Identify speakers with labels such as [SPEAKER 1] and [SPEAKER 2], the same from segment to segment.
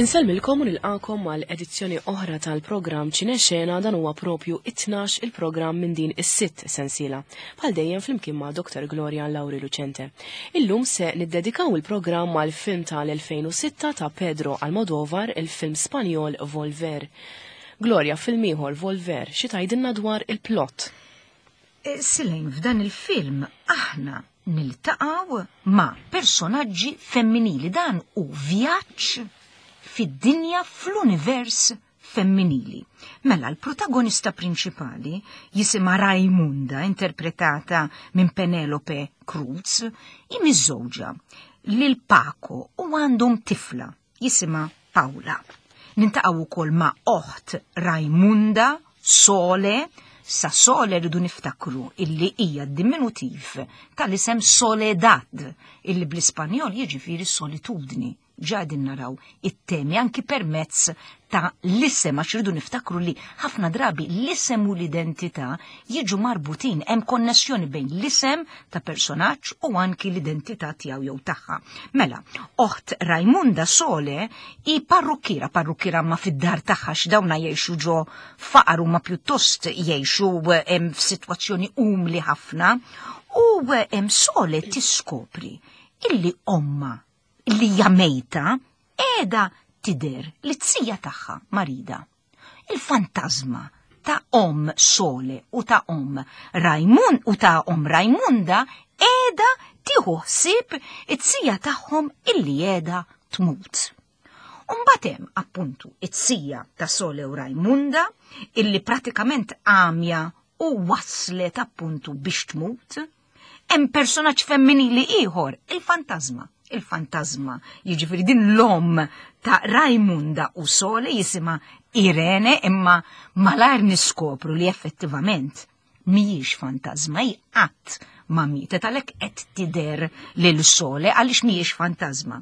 [SPEAKER 1] Insellmilkom u nilqakom għal edizzjoni oħra tal-programm Ċinexena dan huwa propju it-tnax il-programm minn din is-sitt sensiela. Bħal dejjem flimkien ma' Dr. Gloria Lauri Lucente. Illum se niddedikaw il-programm għal film tal-2006 ta' Pedro Almodovar, il-film Spanjol Volver. Gloria, film ieħor Volver, xi tgħidilna dwar il-plot?
[SPEAKER 2] Eh, Silejn, f'dan il-film aħna niltaqgħu ma' personaġġi femminili dan u vjaġġ fid-dinja fl-univers femminili. Mela l-protagonista prinċipali jisimha Raimunda, interpretata minn Penelope Cruz, hi miżżewġa lil Paco u għandhom tifla jisimha Paula. Nintaqgħu wkoll ma' oħt Raimunda, Sole, sa Sole rridu niftakru illi hija diminutiv tal-isem Soledad, illi bl-Ispanjol jiġifieri solitudni. Ġa qegħdin naraw it-temi anki permezz ta' l-isem għax rridu niftakru li ħafna drabi l-isem u l-identità jiġu marbutin, hemm konnessjoni bejn l-isem ta' personaġġ u anki l-identità tiegħu jew tagħha. Mela, oħt Raimunda Sole hi parrukkiera, parrukkiera ma fid-dar tagħha x'dawna jgħixu ġo faqar huma pjuttost jgħixu f'sitwazzjoni umli ħafna u Sole tiskopri illi omma li hija mejta qiegħda tidher li t-sija tagħha marida. Il-fantażma ta' om Sole u ta' om Rajmun u ta' om Rajmunda qiegħda tieħu ħsieb it-sija tagħhom illi qiegħda tmut. Umbagħad hemm appuntu it-sija ta' Sole u Rajmunda illi pratikament għamja u waslet appuntu biex tmut. Hemm personaġġ femminili ieħor, il-fantażma. Il-fantażma, jiġifieri din l-omm ta' Rajmunda u Sole jisimha Irene imma malajr niskopru li effettivament mhijiex fantażma, hi qatt ma mietet għalhekk qed tidher lil Sole għaliex mhijiex fantażma.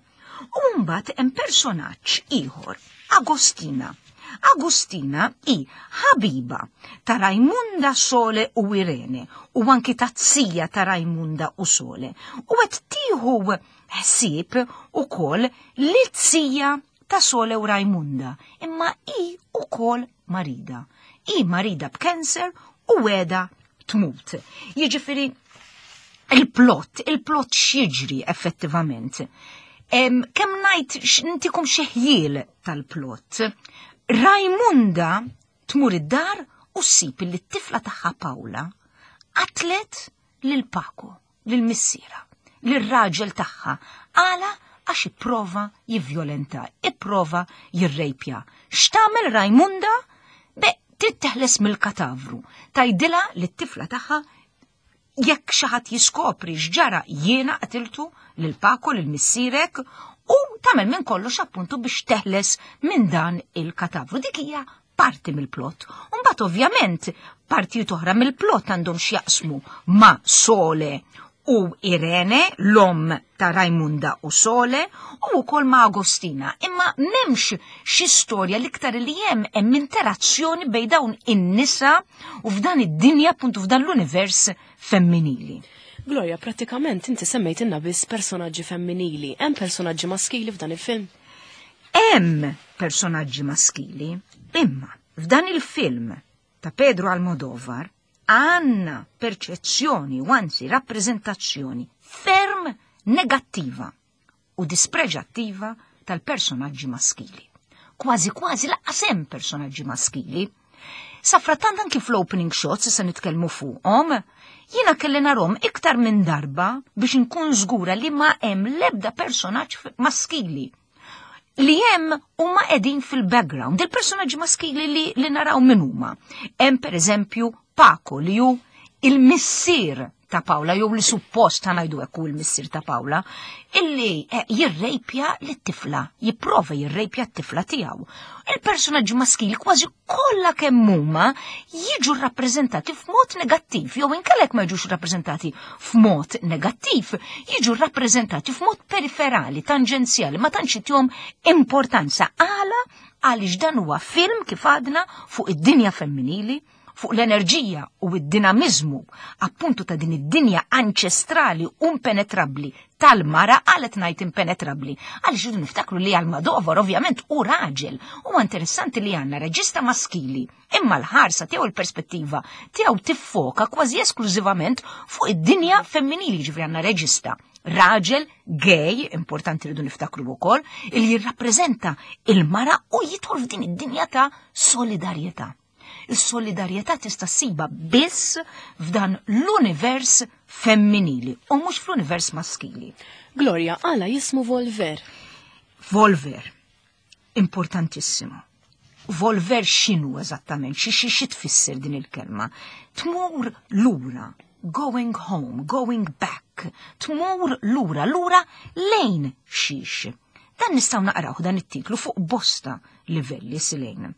[SPEAKER 2] U mbagħad hemm personaġġ ieħor, Agostina. Agostina hi ħabiba ta' Rajmunda Sole u Irene u anki ta' zija ta' Rajmunda u Sole. U qed tieħu ħsieb ukoll li zija ta' Sole u Rajmunda, imma hi ukoll marida. Hi marida b'kanser u weda tmut. Jiġifieri il-plot, il-plot x'jiġri effettivament. Kemm ngħid ntikom xi ħjiel tal-plot. Rajmunda tmur id-dar u ssib li t-tifla tagħha Paula qatlet lil Paco, lil missiera, lil raġel tagħha, għala għax ipprova jivvjolenta, ipprova jirrejpja. X'tagħmel Rajmunda? Be, trid teħles mill-katavru. Tajdilha li t-tifla tagħha jekk xi ħadd jiskopri x'ġara jiena qatiltu lil Paco lil missierek u tagħmel minn kollox appuntu biex teħles minn dan il-katavru. Dik hija parti mill-plot. Mbagħad ovvjament partijiet oħra mill-plot għandhom x'jaqsmu ma' Sole u Irene, l-omm ta' Raimunda u Sole, u wkoll ma' Agostina. Imma m'hemmx xi storja l-iktar li hemm hemm interazzjoni bejn dawn in-nisa u f'dan id-dinja appuntu f'dan l-univers femminili.
[SPEAKER 1] Gloria, pratikament inti semmejtilna biss personaġġi femminili. Hemm personaġġi maskili f'dan il-film?
[SPEAKER 2] Hemm personaġġi maskili, imma f'dan il-film ta' Pedro Almodovar għandna perċezzjoni u anzi rappreżentazzjoni ferm negattiva u dispreġattiva tal-personaġġi maskili. Kważi kważi laqqas hemm personaġġi maskili. Safrattant anki fl-opening shots se nitkellmu fuqhom, jiena kelli narhom iktar minn darba biex inkun żgura li ma hemm l-ebda personaġġ maskili li hemm huma qegħdin fil-background, il-personaġġi maskili li, li naraw min huma. Hemm pereżempju Paco li hu il-missier ta' Paula, jew li suppost ta' ngħidu hekk hu l-missier ta' Paula, illi eh, jirrejpja lit-tifla, jipprova jirrejpja t-tifla tiegħu. Il-personaġġi maskili kważi kollha kemm huma jiġu rrappreżentati f'mod negattiv, jew inkellek ma jiġux rappreżentati f'mod negattiv, jiġu rrappreżentati f'mod periferali, tanġenzjali, ma tantx itihom importanza. Għala għaliex dan huwa film kif għadna fuq id-dinja femminili, fuq l-enerġija u d-dinamiżmu appuntu ta' din id-dinja anċestrali u impenetrabbli tal-mara. Għalet ngħid impenetrabbli għaliex irridu niftakru li Almodovar ovvjament hu raġel. Huwa interessanti li għandna reġista maskili, imma l-ħarsa tiegħu, il-perspettiva tiegħu tiffoka kważi esklużivament fuq id-dinja femminili, ġifieri għandna reġista raġel gay, importanti rridu niftakru wkoll, il jirrappreżenta il-mara u jidħol f'din id-dinja ta' solidarjetà. Is-solidarjetà tista' ssiba biss f'dan l-univers femminili u mhux fl-univers maskili.
[SPEAKER 1] Gloria, għala jismu Volver?
[SPEAKER 2] Volver, importantissimo. Volver x'inhu eżattament, xi xi xi tfisser din il-kelma? Tmur lura, going home, going back, tmur lura, lura lejn xiex. Dan nistgħu naqraw dan it-titlu fuq bosta livelli, Silejn.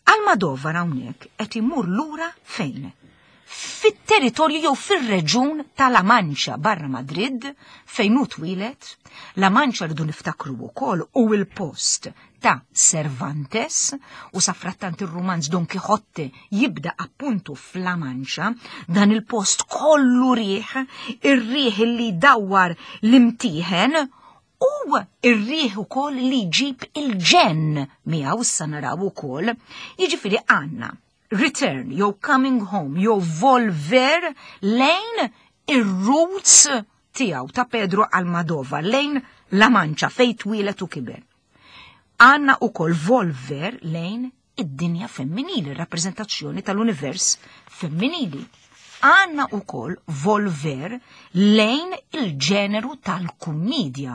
[SPEAKER 2] Almodovar hawnhekk qed imur lura fejn? Fit-territorju jew fir-reġun ta' La Mancha barra Madrid fejn hu twieled. La Mancha, rridu niftakru wkoll, u il-post ta' Cervantes u safrattant ir-rumanz Don Quixote jibda appuntu f'La Mancha, dan il-post kollu riħ, ir-riħ li dawwar l-imtieħen u ir-riħ ukoll li jġib il-ġenn miegħu, issa naraw ukoll. Jiġifieri għandna return jew coming home jew volver lejn ir-roots tiegħu ta' Pedro Almodovar, lejn La Mancha fejn twieled u kiber. Għandna ukoll volver lejn id-dinja femminili, rappreżentazzjoni tal-univers femminili. Għandna ukoll volver lejn il-ġeneru tal-kummedja.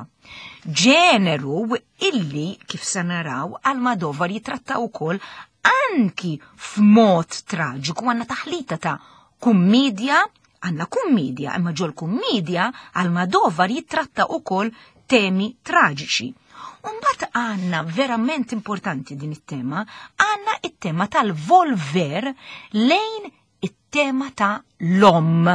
[SPEAKER 2] Ġeneru illi, kif se naraw, Almodovar jitratta ukoll anki f'mod traġiku. Għandna taħlita ta' kummedja, għandna kummedja, imma ġol kummedja Almodovar jitratta ukoll temi traġiċi. Umbat għandna verament importanti din it-tema, għandna it-tema tal-volver lejn it-tema ta' l-omm.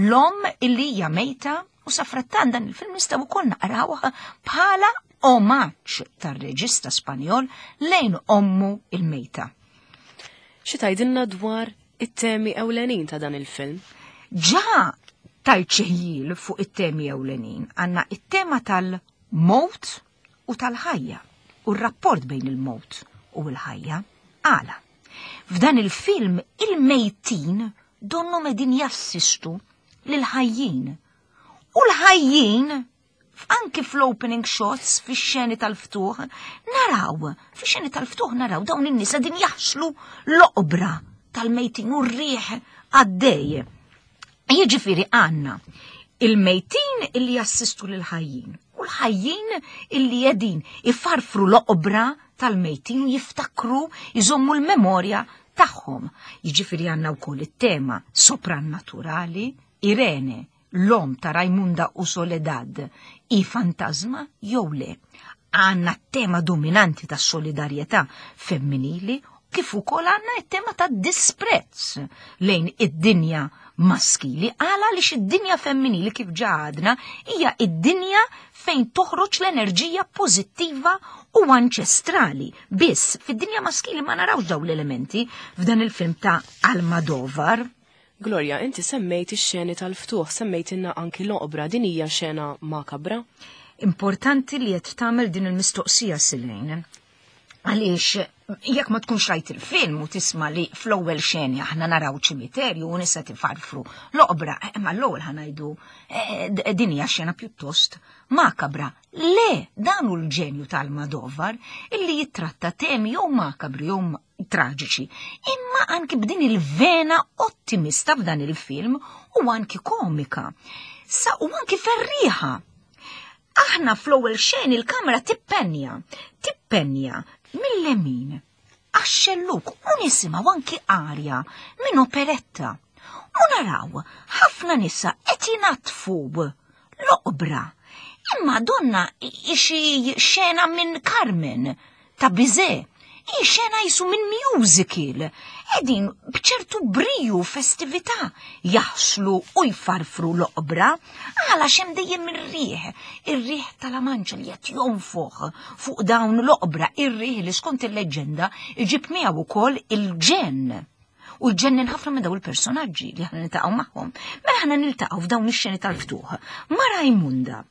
[SPEAKER 2] L-omm illi hija mejta u safrattan dan il-film nistgħu wkoll naqrawh bħala omaġġ tar-reġista Spanjol lejn ommu il-mejta.
[SPEAKER 1] Xi tgħidilna dwar it-temi ewlenin ta' dan il-film?
[SPEAKER 2] Ġa tajt xi fuq it-temi ewlenin. Għandna it-tema tal-mowt u tal-ħajja u r-rapport bejn il-mowt u l-ħajja. Għala? F'dan il-film il-mejtin donnu qedin jassistu lil-ħajjin. U l-ħajjin, anki fl-opening shots, fix-xeni tal-ftuħ, naraw, fix-xeni tal-ftuħ naraw dawn in-nies qegħdin jaħslu l-oqbra tal-mejtin u r-riħ għaddej. Jiġifieri għandna il-mejtin illi jassistu lil-ħajjin u l-ħajjin illi qegħdin ifarfru l-oqbra tal-mejtin u jiftakru, jżommu l-memorja tagħhom. Jiġifieri għandna wkoll it-tema soprannaturali, Irene, l-omm ta' Rajmunda u Soledad, i fantasma jew le. Għandna t-tema dominanti ta' solidarjetà femminili kif ukoll għandna t-tema ta' disprezz lejn id-dinja maskili, għala li id-dinja femminili, kif ġa għadna, hija id-dinja fejn toħroġ l-enerġija pożittiva u anċestrali. Biss fid-dinja maskili ma narawx dawn l-elementi f'dan il-film ta' Almodovar.
[SPEAKER 1] Gloria, inti semmejt ix-xeni tal-ftuħ, semmejtilna anki l-oqbra, din hija xena makabra?
[SPEAKER 2] Importanti li qed tagħmel din il-mistoqsija, Silejn. Għaliex jekk ma tkunx rajt il-film u tisma' li fl-ewwel xeni aħna naraw ċimiterju u nisa tifarfru l-oqbra, ma l-ewwel ħa ngħidu din hija xena pjuttost makabra. Le, dan hu l-ġenju tal-Almodovar illi jitratta temi jew makabri jew traġiċi, imma anki b'din il-vena ottimista f'dan il-film u anki komika. Sa u anki ferriħa. Aħna fl-ewwel xen il-kamera tippenja, tippenja mill-lemin għax-xelluk u nisimgħu anki arja minn operetta. U naraw ħafna nisa qed jinatfu l-oqbra. Imma donna xi xena minn Carmen ta' Bizet. I xena jisu minn musical. Qedin bċertu briju festività jaħslu u jfarfru l-oqbra għala xem dejjem ir-riħ, ir-riħ tal-La Mancha li qed jonfoħ fuq dawn l-oqbra, ir-riħ li skont il-leġenda iġib miegħu wkoll il-ġenn. U ġennin ħafna minn dawn il-personaġġi li aħna niltaqgħu magħhom. Mela aħna niltaqgħu f'dawn ix-xeni tal-ftuħ ma' Rajmunda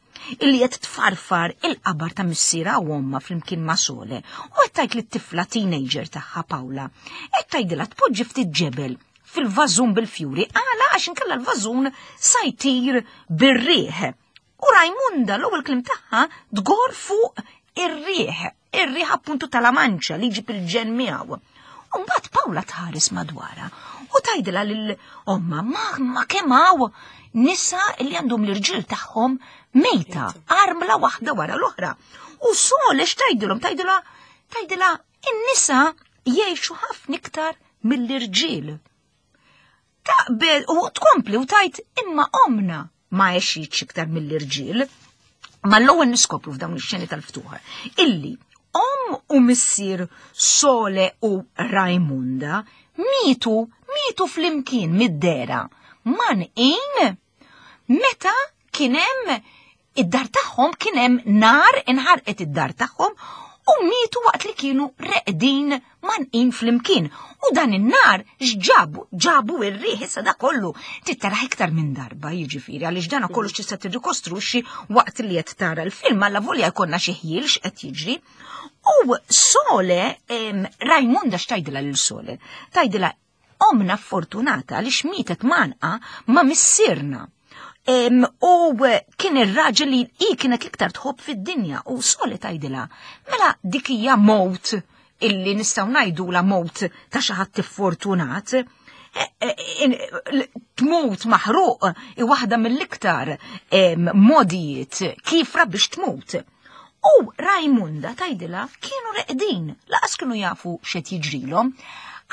[SPEAKER 2] illi qed tfarfar il-qabar ta' missierha u ommha flimkien ma' Sole u qed tgħid lit-tifla teenager tagħha Pawla. Qed tgħidilha tpoġġi ftit ġebel fil-vażun bil-fjuri għala għax inkella l-vażun sa jtir bir-riħ. U Rajmunda l-ewwel kliem tagħha tgor fuq ir-riħ, ir-riħ appuntu tal-amanċa li jġib il-ġen miegħu. U mbagħad Pawla tħares madwarha u tgħidilha lil omma ma, ma kemm hawn nisa li għandhom l-irġiel tagħhom mejta, armla waħda wara l-oħra. U Sole x'tgħidilhom? Tgħidilha tgħidilha in-nisa jgħixu ħafna iktar mill-irġiel. Taqbel u tkompli u tajt imma omna ma għexitx iktar mill-irġiel. Ma l-ewwel niskopru f'dawn ix-xeni tal-ftuħ illi om u missier Sole u Rajmunda mietu mietu flimkien mid-dera man in meta kien hemm id-dar tagħhom kien hemm nar inħarqet id-dar tagħhom u mietu waqt li kienu reqdin manqin flimkien. U dan in-nar x'ġabu? Ġabu ir-riħ issa da kollu tittaraħ iktar minn darba jiġifieri għaliex dan kollu tista' tirrikostruxxi waqt li qed tara l-film alla volja jkollna xi ħjiel x'qed jiġri. U Sole, Rajmunda x'tajdilha lil Sole? Tajdilha Omna fortunata għaliex mietet manqa ma' missierna. U kien ir-raġel li hi kienet l-iktar tħobb fid-dinja u soli tgħidilha. Mela dik hija mowt illi nistgħu ngħidula mowt ta' xi ħadd iffortunat. E, e, e, tmut maħruq i waħda mill-iktar modijiet kifra biex tmut. U Rajmunda tgħidilha kienu reqdin, laqas kienu jafu x'qed jiġrilhom.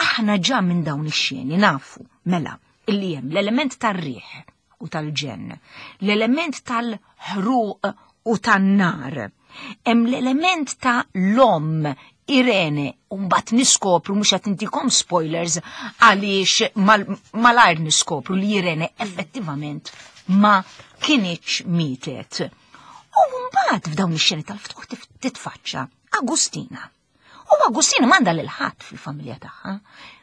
[SPEAKER 2] Aħna ġa minn dawn ix-xeni nafu, mela, illi hemm l-element tar-riħ u tal-ġenn, l-element tal-ħruq u tan-nar, hemm l-element ta' l-omm Irene, u mbagħad niskopru mhux qed intikom spoilers għaliex malajr niskopru li Irene effettivament ma kinitx mietet. U mbagħad f'dawn ix-xeni tal-ftuħ titfaċċa Agustina. U Agustina m'għandha lil ħadd fil-familja tagħha.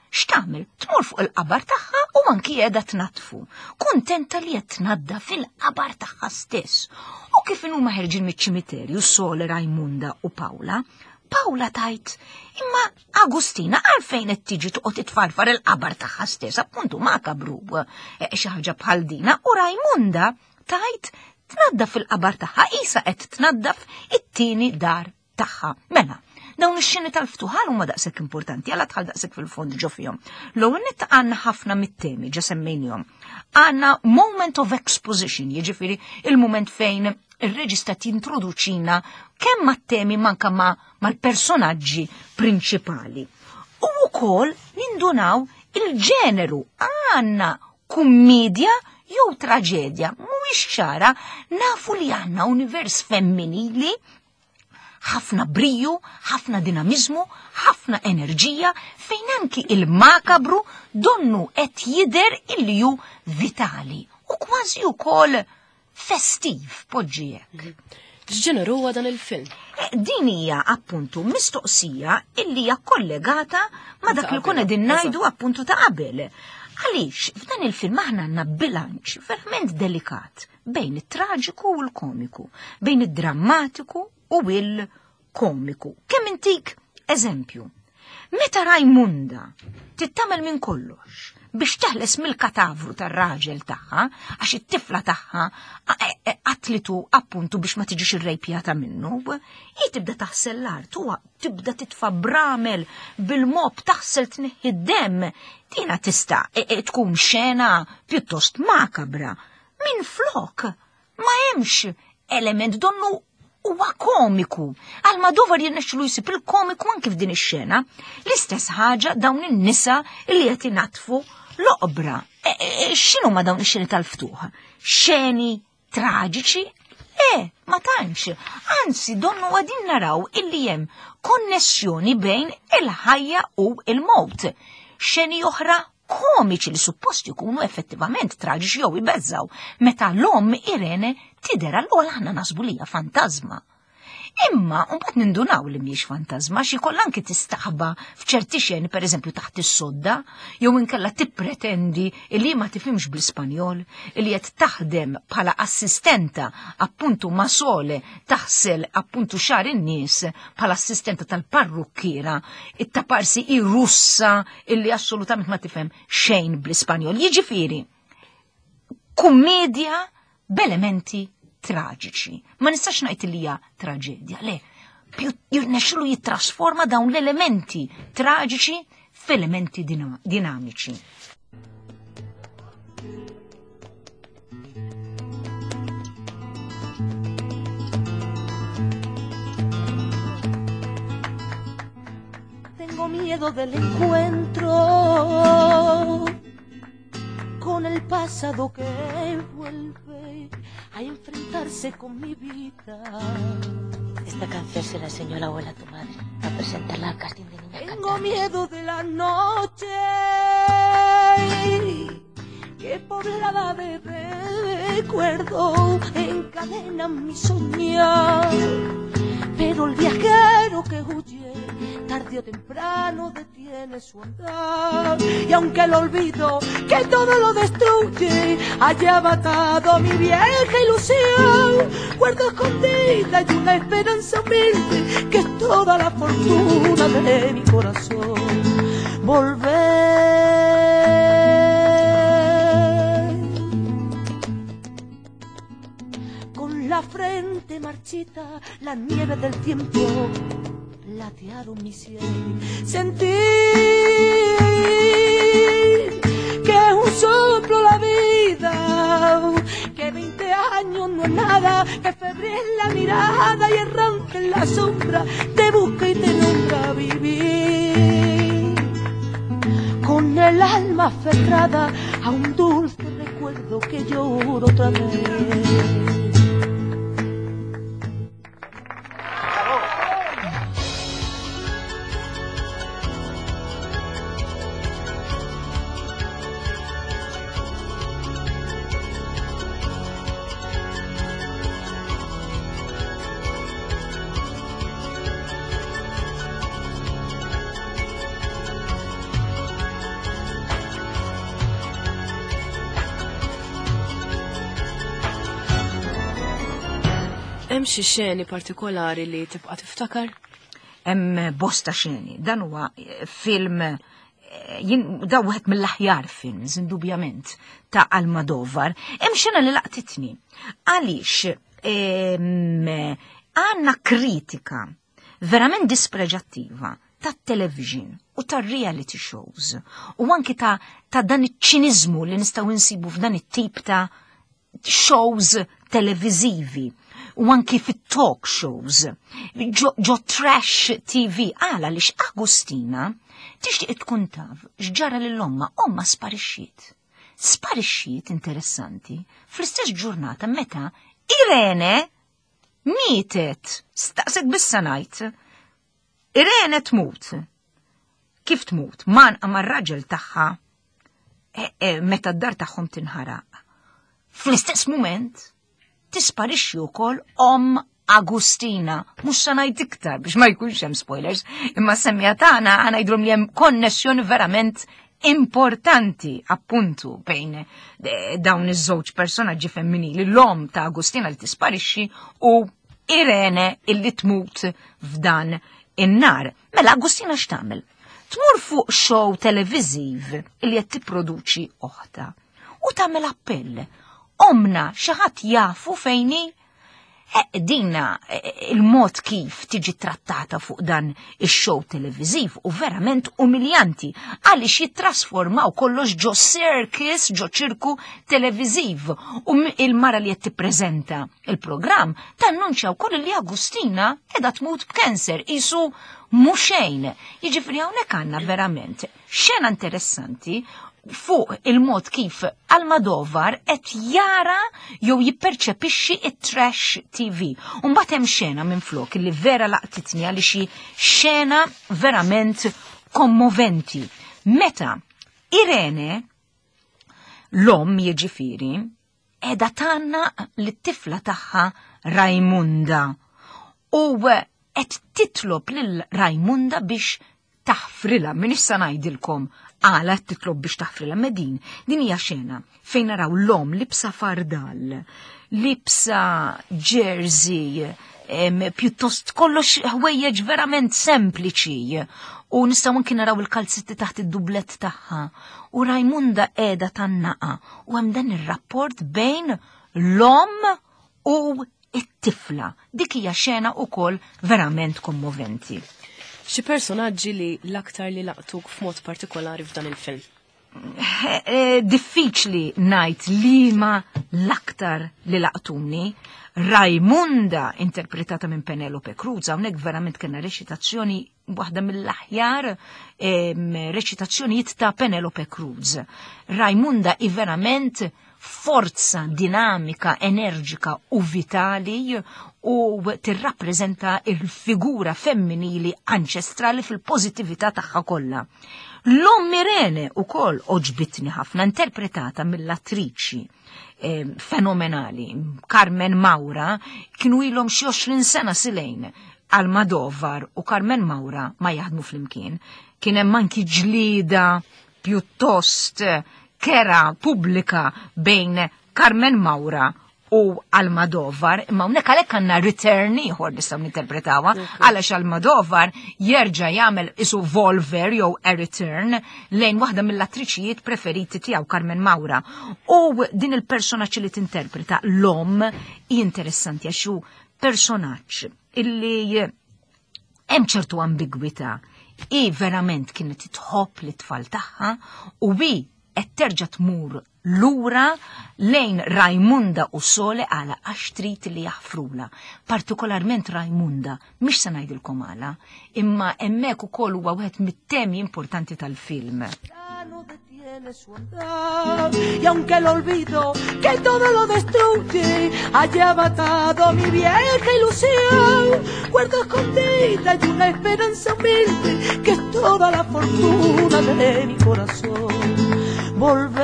[SPEAKER 2] X'tagħmel? Tmur fuq il-qabar tagħha u anki qiegħda tnaddfu. Kuntenta li qed tnadda fil-qabar tagħha stess. U kif inhuma ħerġin miċ-ċimiterju Sole Rajmunda u Pawla, Pawla tajt, imma Agustina għalfejn qed tiġi toqgħod titfarfar il-qabar tagħha stess, appuntu makabru eh, xi ħaġa bħal dina, u Rajmunda tajt tnaddaf il-qabar tagħha qisha qed tnaddaf it-tieni dar tagħha. Mela, dawn ix-xeni tal-ftuħal huma daqshekk importanti għala tħal daqshekk fil-fond ġo fihom. L-ewwel nett għandna ħafna mit-temi ġa semmejnihom. Għandna moment of exposition, jiġifieri il-moment fejn ir-reġista tintroduċina kemm mat-temi manka ma mal-personaġġi prinċipali. U wkoll nindunaw il-ġeneru għandna kummedja jew traġedja, mhuwiex ċara, nafu li għandna univers femminili ħafna briju, ħafna dinamizmu, ħafna enerġija fejn anki il-makabru donnu qed jidher illi hu vitali u kważi wkoll festiv poġġi hekk.
[SPEAKER 1] X'ġeneru huwa dan il-film?
[SPEAKER 2] Eh, din hija appuntu mistoqsija illi hija kollegata ma' dak li kuna din ngħidu appuntu ta' qabel. Għaliex f'dan il-film aħna għandna bilanċ verament delikat bejn it-traġiku u l-komiku, bejn id-drammatiku u il-komiku. Kemm intik eżempju. Meta Rajmunda tittamel minn kollox biex teħles mill-katavru tar-raġel tagħha, għax it-tifla tagħha e, e, qatlitu appuntu biex ma tiġix irrejpjata minnu, hi tibda taħsel l-art u tibda titfa' bramel bil-mob taħsel tneħħi d-demm. Dina tista' e, tkun xena pjuttost makabra. Minn flok Ma hemmx element donnu huwa komiku. Almodovar jirnexxilu jsib il-komiku anki f'din ix-xena. L-istess ħaġa dawn in-nisa li qed inatfu l-oqbra. E, e, e, x'inhu ma dawn ix-xeni tal-ftuħ? Xeni traġiċi? Le, ma tantx. Anzi, donnu għadin naraw illi hemm konnessjoni bejn il-ħajja u il-mowt. Xeni oħra komiċi li suppost ikunu effettivament traġiċi jew ibeżżaw, meta l-omm Irene tidher għall-ewwel aħna nasbu li hija fantażma. Imma mbagħad nindunaw li mhijiex fantażma xi kollha anki tistaħba f'ċerti xeni pereżempju taħt is-sodda, jew inkella tippretendi li ma tifhimx bl-Ispanjol, li qed taħdem bħala assistenta appuntu ma' Sole taħsel appuntu xar in-nies bħala assistenta tal-parrukkiera, it-taparsi i Russa illi assolutament ma tifhem xejn bl-Ispanjol. Jiġifieri, kummedja b'elementi traġiċi. Ma nistax ngħid li hija traġedja, le. Jirnexxilu jittrasforma dawn l-elementi traġiċi f'elementi dinamiċi.
[SPEAKER 3] Tengo miedo del encuentro con el pasado que vuelve a enfrentarse con mi vida.
[SPEAKER 4] Esta canción se la enseñó la abuela a tu madre a presentarla al casting de niñas
[SPEAKER 3] Tengo
[SPEAKER 4] cantantes.
[SPEAKER 3] miedo de la noche que poblada de recuerdo encadena mi soñar. Pero el viajero que huye tarde o temprano detiene su andar. Y aunque el olvido que todo lo destruye haya matado mi vieja ilusión, guardo escondida y una esperanza humilde que es toda la fortuna de mi corazón. Volver con la frente marchita, la nieve del tiempo platearon mi sien. Sentir que es un soplo la vida, que 20 años no es nada, que febril es la mirada y errante en la sombra, te busca y te nombra vivir. Con el alma aferrada a un dulce recuerdo que lloro otra vez.
[SPEAKER 1] Hemm xi xeni partikolari li tibqa' tiftakar?
[SPEAKER 2] Hemm bosta xeni. Dan huwa film jien da wieħed mill-aħjar films indubjament ta' Almodovar. Hemm xena li laqtitni. Għaliex għandna kritika verament dispreġattiva tat-television u tar-reality shows u anki ta', ta dan iċ-ċiniżmu li nistgħu insibu f'dan it-tip ta' shows televizivi u anki fit-talk shows ġo, ġo trash TV għala lix Agustina tixtieq tkun taf x'ġara lil omma, omma sparixxiet. Sparixxiet interessanti fl-istess ġurnata meta Irene mietet. Staqsek bissa ngħid. Irene tmut. Kif tmut? Man mar-raġel tagħha meta d-dar tagħhom tinħaraq. Fl-istess mument tisparixxi wkoll om Agustina, mhux se ngħid iktar biex ma jkunx hemm spoilers, imma semmija tagħna ngħidulhom li hemm konnessjoni verament importanti appuntu bejn dawn iż-żewġ personaġġi femminili, l-om ta' Agustina li tisparixxi u Irene illi tmut f'dan in-nar. Mela Agustina x'tagħmel? Tmur fuq show televiżiv illi qed tipproduċi oħta u tagħmel appell. Omna xi ħadd jafu fejn hi? Dina il-mod kif tiġi trattata fuq dan ix-show televiżiv u verament umiljanti għaliex jittrasformaw kollox ġo circus, ġo ċirku televiżiv u il-mara li qed tippreżenta il-programm tannunċja wkoll li Agustina qiegħda tmut b'kanser isu mhux xejn. Jiġifieri hawnhekk għandna verament xena interessanti fuq il-mod kif Almodovar qed jara jew jipperċepixxi it-trash TV. U mbagħad hemm xena minn flok li vera laqtitni għaliex hi xena verament kommoventi. Meta Irene l-omm jiġifieri qiegħda tgħannaq lit-tifla tagħha Rajmunda. U qed titlob lil Rajmunda biex taħfrilha, m'iniex sa ngħidilkom għala qed titlob biex taħfrilha, ma din, din hija xena fejn naraw l-omm libsa fardal, libsa jersey, pjuttost kollox ħwejjeġ verament sempliċi u nistgħu anki naraw il-kalzetti taħt id-dublett tagħha u Rajmunda qiegħda tannaqa u hemm dan ir-rapport bejn l-omm u it-tifla. Dik hija xena wkoll verament kommoventi.
[SPEAKER 1] Xi personaġġi li l-aktar li laqtuk f'mod partikolari f'dan il-film?
[SPEAKER 2] Eh, eh, diffiċli ngħid liema l-aktar li laqtuni. Raimunda interpretata minn Penelope Cruz, hawnhekk verament kellna reċitazzjoni waħda mill-aħjar reċitazzjonijiet ta' Penelope Cruz. Raimunda i verament forza dinamika, enerġika u vitali u tirrappreżenta il-figura femminili anċestrali fil-pożittività tagħha kollha. L-omm Irene ukoll oġbitni ħafna interpretata mill-attriċi eh, fenomenali Carmen Maura kienu ilhom xi 20 sena silejn Almodovar u Carmen Maura ma jaħdmu flimkien. Kien hemm anki ġlieda pjuttost kera pubblika bejn Carmen Maura u Almodovar, imma hawnhekk għalhekk għandna return ieħor nistgħu ninterpretawha, għaliex Almodovar jerġa' jagħmel isu Volver jew a return lejn waħda mill-attriċijiet preferiti tiegħu Carmen Maura. U din il-personaġġ li tinterpreta l-omm hi interessanti għax hu personaġġ illi hemm ċertu ambigwità. I verament kienet tħobb lit-tfal tagħha u hi qed terġa' tmur lura lejn Rajmunda u Sole għala għax trid li jaħfrula. Partikolarment Rajmunda, mhix se ngħidilkom għala, imma hemmhekk ukoll huwa wieħed mit-temi importanti tal-film.
[SPEAKER 3] Detiene su andar y aunque el olvido que todo lo destruye haya matado mi vieja ilusión, guardo escondida y una esperanza humilde que es toda la fortuna de mi corazón. Volver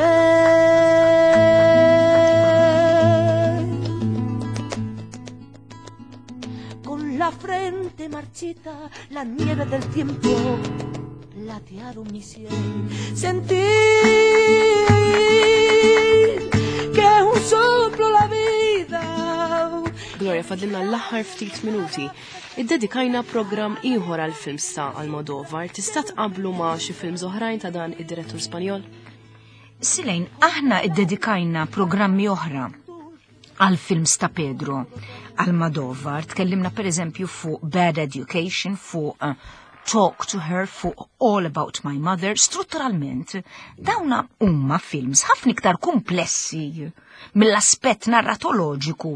[SPEAKER 3] con la frente marchita, la nieve del tiempo platearon mi sien. Sentir que es un soplo la vida.
[SPEAKER 1] Gloria, fadlilna l-aħħar ftit minuti. Iddedikajna programm ieħor għal films ta' Almodovar. Tista' tqablu ma' xi films oħrajn ta' dan id-direttur Spanjol?
[SPEAKER 2] Silejn, aħna iddedikajna programmi oħra għal films ta' Pedro Almodovar. Tkellimna per eżempju fuq Bad Education, fuq Talk to Her, fuq All About My Mother. Strutturalment, dawna huma films ħafna iktar komplessi mill-aspett narratoloġiku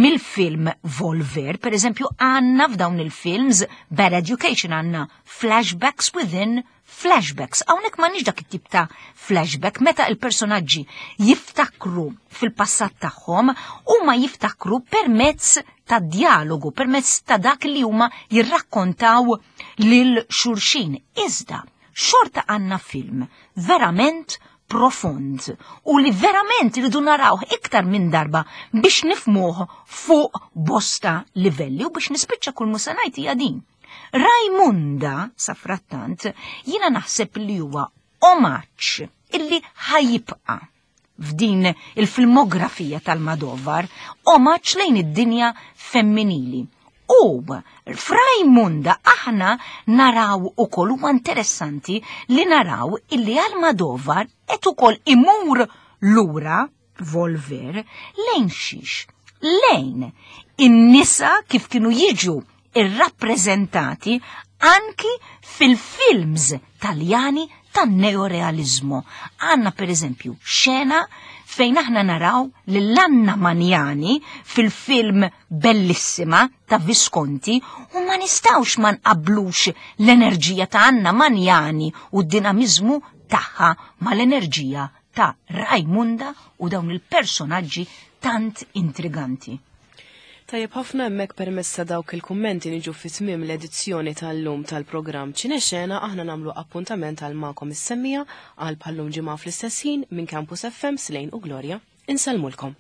[SPEAKER 2] mill-film Volver. Per eżempju, għandna f'dawn il-films Bad Education għandna flashbacks within flashbacks. Hawnhekk m'għandniex dak it-tip ta' flashback meta il-personaġġi jiftakru fil-passat tagħhom huma jiftakru permezz ta' dialogu, permezz ta' dak li huma jirrakkontaw lil xulxin. Iżda, xorta għandna film verament profond u li verament rridu narawh iktar minn darba biex nifmuh fuq bosta livelli u biex nispiċċa kull musa ngħid hija din. Rajmunda, safrattant, jiena naħseb li huwa omaġġ illi ħajibqa' f'din il-filmografija tal-Madovar, omaġġ lejn id-dinja femminili. U f'Rajmunda aħna naraw ukoll huwa interessanti li naraw illi Almodovar qed ukoll imur lura Volver lejn xiex? Lejn in-nisa kif kienu jiġu irrappreżentati anki fil-films Taljani tan-neorealizmu. Għandna per eżempju xena fejn aħna naraw lil Anna Magnani fil-film Bellissima ta' Visconti u ma nistgħux ma nqabblux l-enerġija ta' Anna Magnani u d-dinamiżmu tagħha mal-enerġija ta' Rajmunda u dawn il-personaġġi tant intriganti.
[SPEAKER 1] Tajjeb ħafna hemmhekk permezz ta' dawk il-kummenti niġu fi tmiem l-edizzjoni tal-lum tal-programm Ċinexena aħna nagħmlu appuntament għal magħkom is-semmija għal bħallum ġimgħa fl-istess ħin minn Campus FM Slejn u Gloria. Insellmulkom.